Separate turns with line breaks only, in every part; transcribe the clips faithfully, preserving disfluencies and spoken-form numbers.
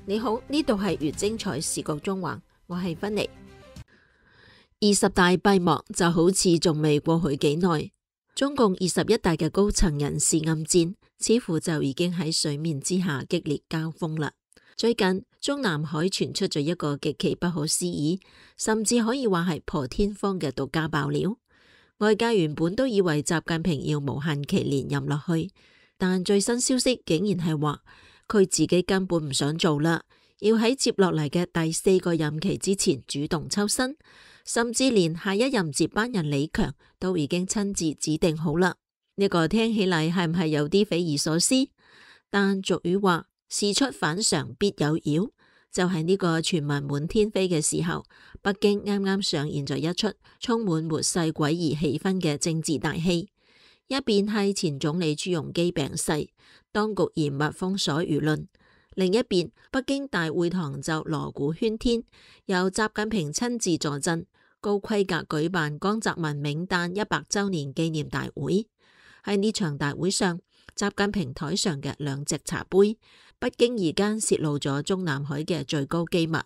你好，呢度係越精彩視覺中環，我係芬妮。二十大閉幕就好似仲未過去幾耐，中共二十一大嘅高層人事暗戰似乎就已經喺水面之下激烈交鋒啦。最近中南海傳出咗一個極其不可思議，甚至可以話係破天荒嘅獨家爆料。外界原本都以為習近平要無限期連任落去，但最新消息竟然係話佢自己根本唔想做啦，要喺接落嚟嘅第四個任期之前主動抽身，甚至連下一任接班人李強都已經親自指定好啦。呢個聽起嚟係唔係有啲匪夷所思？但俗語話事出反常必有妖，就係呢個傳聞滿天飛嘅時候，北京啱啱上演咗一出充滿末世詭異氣氛嘅政治大戲。一邊係前總理朱鎔基病逝，當局嚴密封鎖輿論；另一邊，北京大會堂就鑼鼓喧天，由習近平親自坐鎮，高規格舉辦江澤民冥誕一百周年紀念大會。喺呢場大會上，習近平台上嘅兩隻茶杯，不經意間洩露咗中南海嘅最高機密。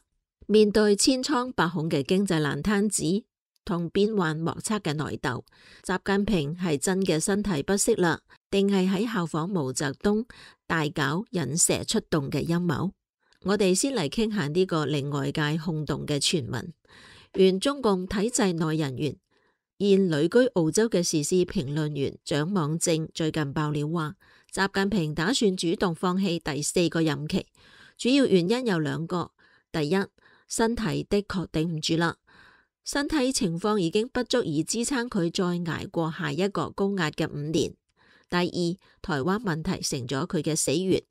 面對千瘡百孔嘅經濟爛攤子同變幻莫測嘅內鬥，習近平係真嘅身體不適啦，定係喺效仿毛澤東大搞引蛇出洞嘅陰謀？我哋先嚟傾下呢個令外界轟動嘅傳聞。原中共體制內人員、現旅居澳洲嘅時事評論員蔣望正最近爆料話，習近平打算主動放棄第四個任期，主要原因有兩個：第一，身體的確頂唔住啦。身體情況已經不足以支撐佢再捱過下一個高壓嘅五年。第二，台灣問題成咗佢嘅死穴，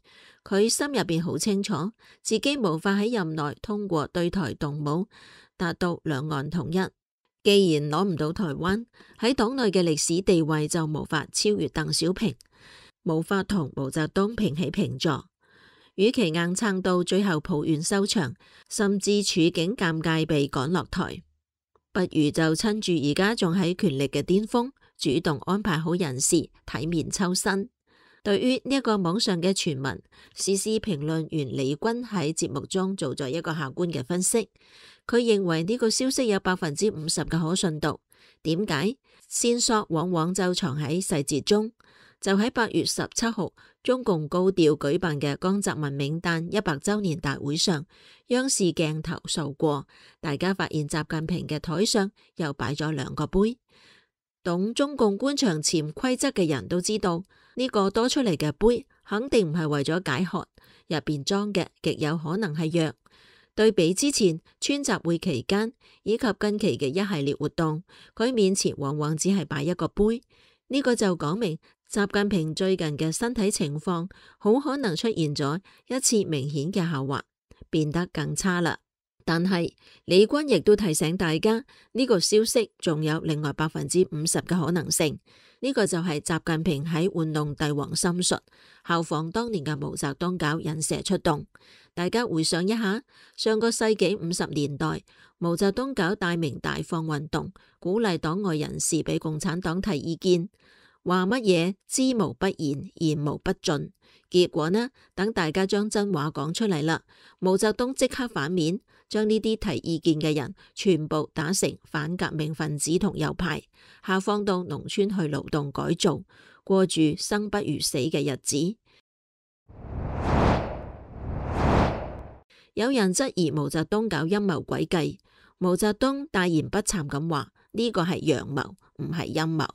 佢心入邊好清楚，自己無法喺任內通過對台動武達到兩岸統一。既然攞唔到台灣，喺黨內嘅歷史地位就無法超越鄧小平，無法同毛澤東平起平坐。與其硬撐到最後抱怨收場，甚至處境尷尬被趕落台，不如就趁住而家仲喺權力嘅巔峰，主動安排好人事，體面抽身。對於呢一個網上嘅傳聞，時事評論員李軍喺節目中做咗一個客觀嘅分析。佢認為呢個消息有百分之五十嘅可信度。點解？線索往往就藏喺細節中。就喺八月十七號，中共高調舉辦嘅江澤民冥誕一百周年大會上，央視鏡頭掃過，大家發現習近平嘅台上又擺咗兩個杯。懂中共官場潛規則嘅人都知道，呢個多出嚟嘅杯肯定唔係為咗解渴，入邊裝嘅極有可能係藥。對比之前川習會期間以及近期嘅一系列活動，佢面前往往只係擺一個杯，呢個就講明習近平最近嘅身體情況好可能出現咗一次明顯嘅下滑，變得更差啦。但係李軍亦都提醒大家，呢個消息仲有另外百分之五十嘅可能性，呢個就係習近平喺玩弄帝王心術，效仿當年嘅毛澤東搞引蛇出洞。大家回想一下，上個世紀五十年代，毛澤東搞大鳴大放運動，鼓勵黨外人士俾共產黨提意見，話乜嘢知無不言，言無不盡。結果呢，等大家將真話講出嚟啦，毛澤東即刻反面，將呢啲提意見嘅人全部打成反革命分子同右派，下放到農村去勞動改造，過住生不如死嘅日子。有人質疑毛澤東搞陰謀詭計，毛澤東大言不慚咁話呢個係陽謀，唔係陰謀。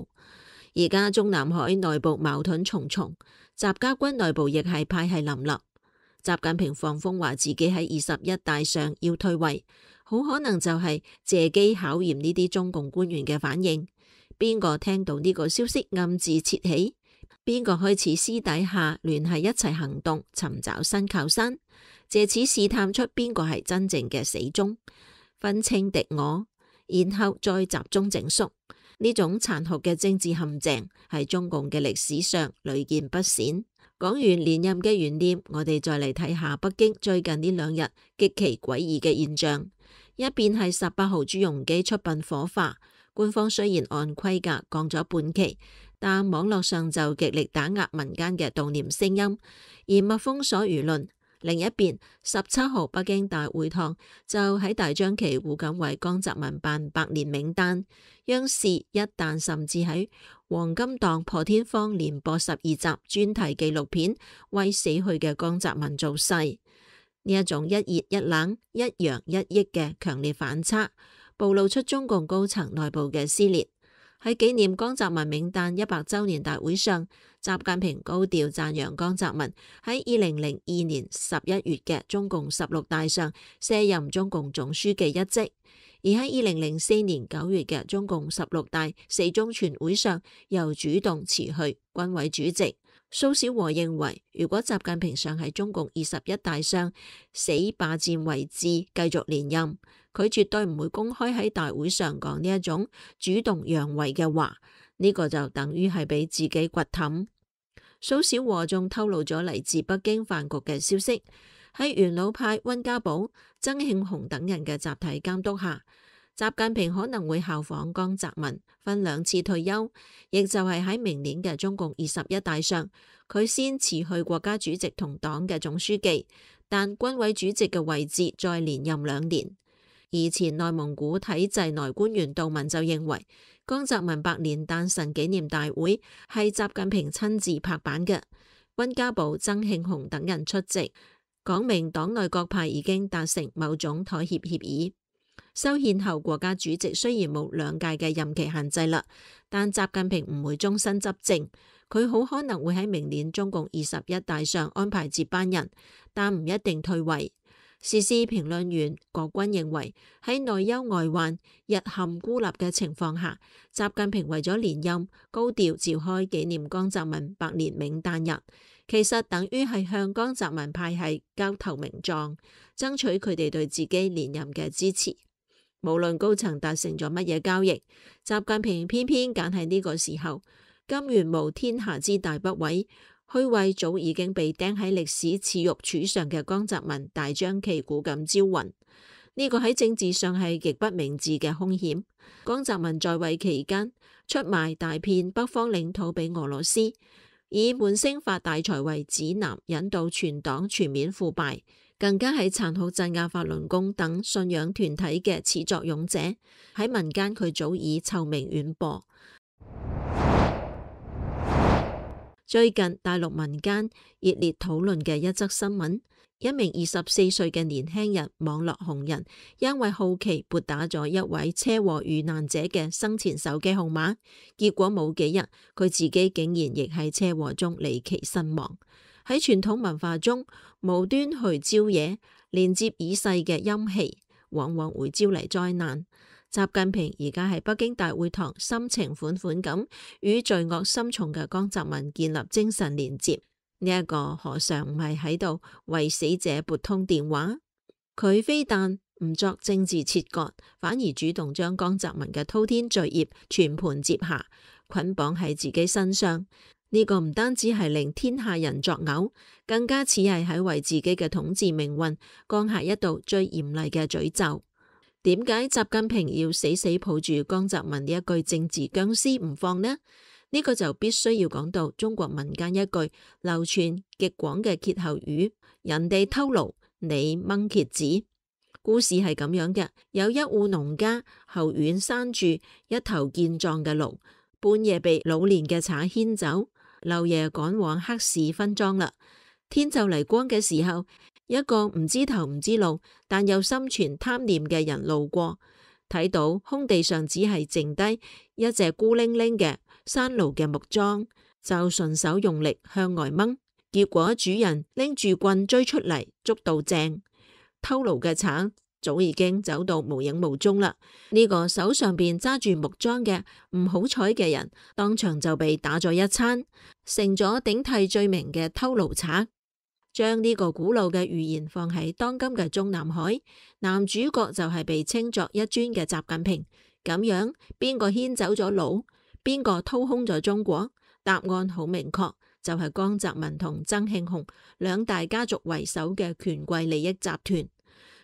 而家中南海內部矛盾重重，習家軍內部亦係派系林立。習近平放風話自己喺二十一大上要退位，好可能就係借機考驗呢啲中共官員嘅反應。邊個聽到呢個消息暗自竊喜？邊個開始私底下聯繫一齊行動，尋找新靠山，借此試探出邊個係真正嘅死忠，分清敵我，然後再集中整肅。呢種殘酷嘅政治陷阱喺中共嘅歷史上屢見不鮮。講完連任嘅懸念，我哋再嚟睇下北京最近呢兩日極其詭異嘅現象。一邊係十八號朱鎔基出殯火化，官方雖然按規格降咗半旗，但網絡上就極力打壓民間嘅悼念聲音，嚴密封鎖輿論。另一邊，十七號北京大會堂就喺大張旗鼓咁為江澤民辦百年冥誕。央視一旦甚至喺黃金檔破天荒連播十二集專題紀錄片，為死去嘅江澤民造勢。呢一種一熱一冷、一陽一抑嘅強烈反差，暴露出中共高層內部嘅撕裂。喺紀念江澤民冥誕一百週年大會上，習近平高調讚揚江澤民喺二零零二年十一月嘅中共十六大上卸任中共總書記一職，而喺二零零四年九月嘅中共十六大四中全會上又主動辭去軍委主席。蘇小和認為，如果習近平想喺中共二十一大上死罷戰為志，繼續連任，佢絕對唔會公開喺大會上講呢一種主動讓位嘅話，呢、這個就等於係俾自己掘氹。蘇小和仲透露咗嚟自北京飯局嘅消息，喺元老派溫家寶、曾慶紅等人嘅集體監督下，習近平可能會效仿江澤民分兩次退休，亦就係喺明年嘅中共二十一大上，佢先辭去國家主席同黨嘅總書記，但軍委主席嘅位置再連任兩年。而前內蒙古體制內官員杜文就認為，江澤民百年誕辰紀念大會係習近平親自拍板嘅，溫家寶、曾慶紅等人出席，講明黨內各派已經達成某種妥協協議。修憲後，國家主席雖然冇兩屆嘅任期限制啦，但習近平唔會終身執政，佢好可能會喺明年中共二十一大上安排接班人，但唔一定退位。時事評論員郭軍認為，喺內憂外患、日陷孤立嘅情況下，習近平為咗連任，高調召開紀念江澤民百年冥誕日，其實等於係向江澤民派系交投名狀，爭取佢哋對自己連任嘅支持。無論高層達成咗乜嘢交易，習近平偏偏揀喺呢個時候，甘願冒天下之大不韙，去為早已經被釘喺歷史恥辱柱上嘅江澤民大張旗鼓咁招魂。呢個喺政治上係極不明智嘅兇險。江澤民在位期間出賣大片北方領土俾俄羅斯，以滿星發大財為指南，引導全黨全面腐敗，更加係殘酷鎮壓法輪功等信仰團體嘅始作俑者。喺民間佢早已臭名遠播。最近大陸民間熱烈討論嘅一則新聞，一名二十四歲嘅年輕人網絡紅人，因為好奇撥打咗一位車禍遇難者嘅生前手機號碼，結果冇幾日，佢自己竟然亦喺車禍中離奇身亡。喺傳統文化中，無端去招惹連接已逝嘅陰氣，往往會招嚟災難。習近平而家喺北京大會堂深情款款咁與罪惡深重嘅江澤民建立精神連接，呢、這、一個何嘗唔係喺度為死者撥通電話？佢非但唔作政治切割，反而主動將江澤民嘅滔天罪孽全盤接下，捆綁喺自己身上。呢、這個唔單止係令天下人作嘔，更加似係喺為自己嘅統治命運降下一道最嚴厲嘅詛咒。點解習近平要死死抱住江澤民呢一句政治僵屍唔放呢？呢、這個就必須要講到中國民間一句流傳極廣嘅歇後語：人哋偷驢，你掹蠍子。故事係咁樣嘅，有一戶農家後院拴住一頭健壯嘅驢，半夜被老年嘅賊牽走，漏爺趕往黑市分贓啦。天就嚟光嘅時候，一個唔知頭唔知路，但又心存貪念嘅人路過，睇到空地上只係剩低一隻孤零零嘅山驢嘅木樁，就順手用力向外掹，結果主人拎住棍追出嚟，捉到正，偷驢嘅賊早已經走到無影無蹤啦。呢、這個手上邊揸住木樁嘅唔好彩嘅人，當場就被打咗一餐，成咗頂替罪名嘅偷驢賊。將呢個古老嘅寓言放喺當今嘅中南海，男主角就係被稱作一尊嘅習近平。咁樣邊個牽走咗驢，邊個掏空咗中國？答案好明確，就係、是、江澤民同曾慶紅兩大家族為首嘅權貴利益集團。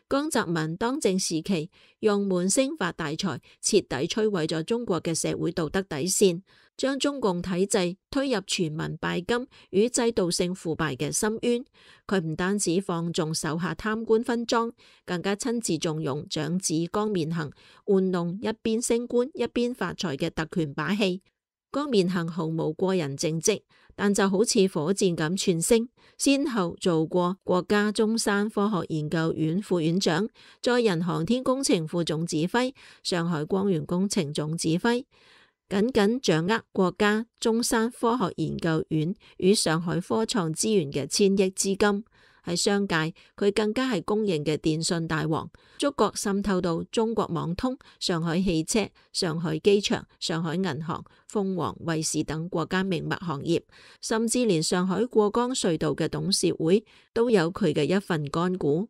江澤民當政時期用滿星發大財，徹底摧毀咗中國嘅社會道德底線，將中共體制推入全民拜金與制度性腐敗嘅深淵。佢唔單止放縱手下貪官分贓，更加親自縱容長子江面行玩弄一邊升官一邊發財嘅特權把戲。江面行毫無過人政績，但就好似火箭咁竄升，先後做過國家中山科學研究院副院長、載人航天工程副總指揮、上海光源工程總指揮，緊緊掌握國家中山科學研究院與上海科創資源嘅千億資金。喺商界，佢更加係公認嘅電信大王，觸覺滲透到中國網通、上海汽車、上海機場、上海銀行、鳳凰衛視等國家命脈行業，甚至連上海過江隧道嘅董事會都有佢嘅一份乾股。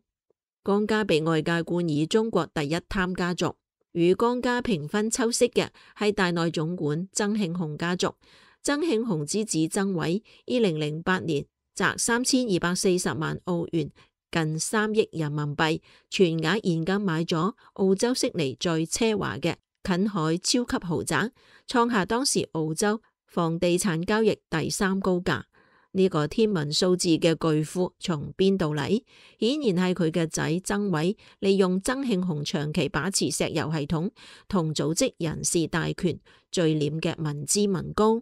江家被外界冠以中國第一貪家族，與江家平分秋色嘅係大內總管曾慶紅家族。曾慶紅之子曾偉，二零零八年砸三千二百四十萬澳元，近三億人民幣，全額現金買咗澳洲悉尼最奢華嘅近海超級豪宅，創下當時澳洲房地產交易第三高價。呢、這個天文數字嘅巨富從邊度嚟？顯然係佢嘅仔曾偉利用曾慶紅長期把持石油系統同組織人事大權聚斂嘅民脂民膏。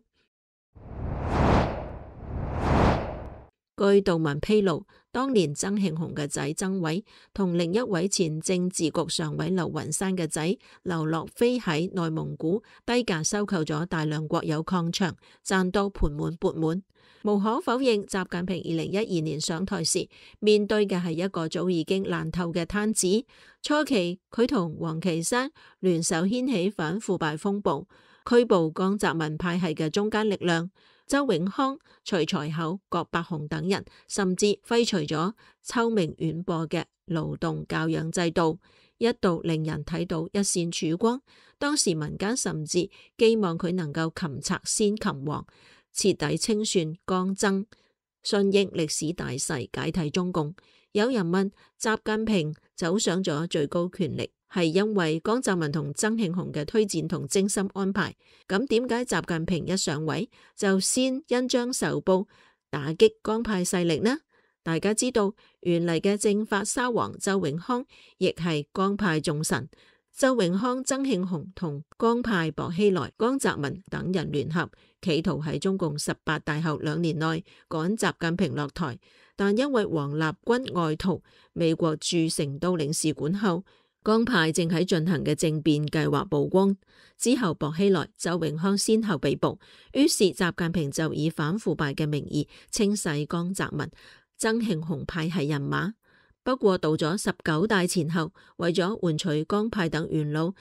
據道聞披露，當年曾慶紅嘅仔曾偉同另一位前政治局常委劉雲山嘅仔劉樂飛喺內蒙古低價收購咗大量國有礦場，賺到盆滿缽滿。無可否認，習近平二零一二年上台時面對嘅係一個早已經爛透嘅攤子。初期佢同王岐山聯手掀起反腐敗風暴，拘捕江澤民派系嘅中間力量。周永康、徐才厚、郭伯雄等人，甚至廢除咗秋名遠播嘅勞動教養制度，一度令人睇到一線曙光。當時民間甚至寄望佢能夠擒賊先擒王，徹底清算江曾，順應歷史大勢解體中共。有人問習近平走上咗最高權力，係因為江澤民同曾慶紅嘅推薦同精心安排，咁點解習近平一上位就先恩將仇報，打擊江派勢力呢？大家知道，原嚟嘅政法沙皇周永康亦係江派重臣。周永康、曾慶紅同江派薄熙來、江澤民等人聯合，企圖喺中共十八大後兩年內趕習近平落台，但因為王立軍外逃美國駐成都領事館後，江派正喺進行嘅政變計劃曝光之後，薄熙來、周永康先後被捕，於是習近平就以反腐敗嘅名義清洗江澤民、曾慶紅派系人馬。不過到咗十九大前後，為咗換取江派等元老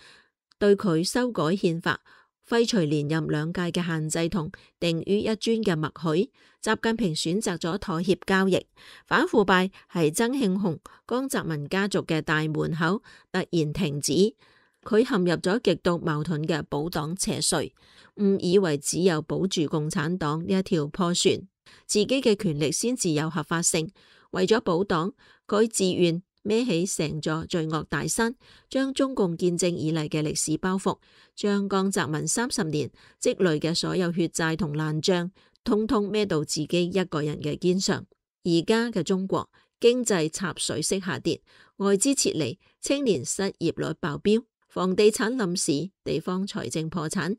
對佢修改憲法，廢除連任兩屆嘅限制同定於一尊嘅默許，習近平選擇咗妥協交易。反腐敗係曾慶紅、江澤民家族嘅大門口突然停止，佢陷入咗極度矛盾嘅保黨邪祟，誤以為只有保住共產黨呢一條破船，自己嘅權力先至有合法性。為咗保黨，佢自願孭起成座罪惡大山，將中共建政以嚟嘅歷史包袱，將江澤民三十年積累嘅所有血債同爛賬，通通孭到自己一個人嘅肩上。而家嘅中國經濟插水式下跌，外資撤離，青年失業率爆標，房地產冧市，地方財政破產。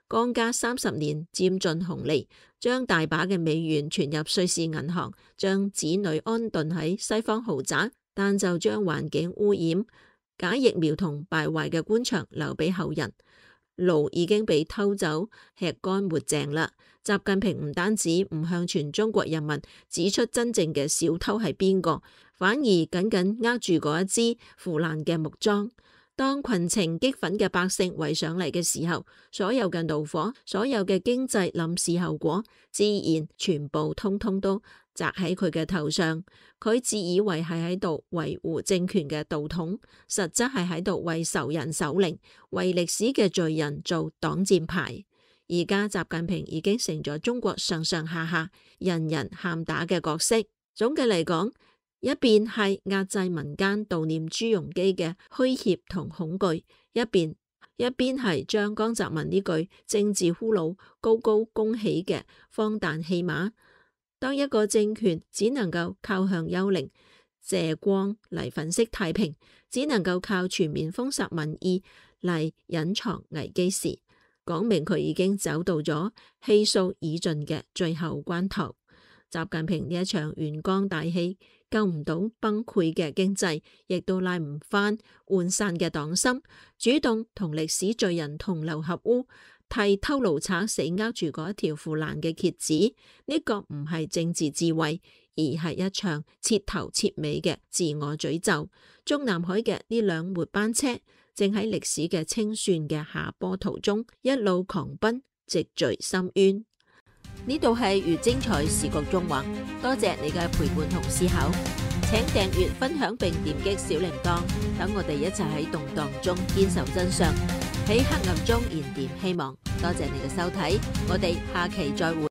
江家三十年佔盡紅利，將大把嘅美元存入瑞士銀行，將子女安頓喺西方豪宅，但就將環境污染、假疫苗同敗壞嘅官場留俾後人。驢已經被偷走，吃乾抹淨啦。習近平唔單止唔向全中國人民指出真正嘅小偷係邊個，反而緊緊握住嗰一支腐爛嘅木樁。當群情激憤嘅百姓圍上嚟嘅時候，所有嘅怒火，所有嘅經濟臨時後果，自然全部通通都砸喺佢嘅頭上。佢自以為係喺度維護政權嘅道統，實質係喺度為仇人守靈，為歷史嘅罪人做擋箭牌。而家習近平已經成咗中國上上下下人人喊打嘅角色。總嘅嚟講，一邊係壓制民間悼念朱鎔基嘅虛怯同恐懼，一邊一邊係將江澤民呢句政治俘虜高高拱起嘅荒誕戲碼，當一個政權只能夠靠向幽靈借光嚟粉飾太平，只能夠靠全面封殺民意嚟隱藏危機時，講明佢已經走到咗氣數已盡嘅最後關頭。習近平呢一場元剛大戲救唔到崩潰嘅經濟，亦都拉唔翻渙散嘅黨心，主動同歷史罪人同流合污，替偷奴賊死握住嗰一條腐爛嘅蠍子，呢、這個唔係政治智慧，而係一場徹頭徹尾嘅自我詛咒。中南海嘅呢輛末班車正喺歷史嘅清算嘅下坡途中一路狂奔，直墜深淵。呢度係粵精彩視覺縱橫，多謝你嘅陪伴同思考，請訂閱、分享並點擊小鈴鐺，等我哋一齊喺動盪中堅守真相，喺黑暗中燃點希望。多謝你嘅收睇，我哋下期再會。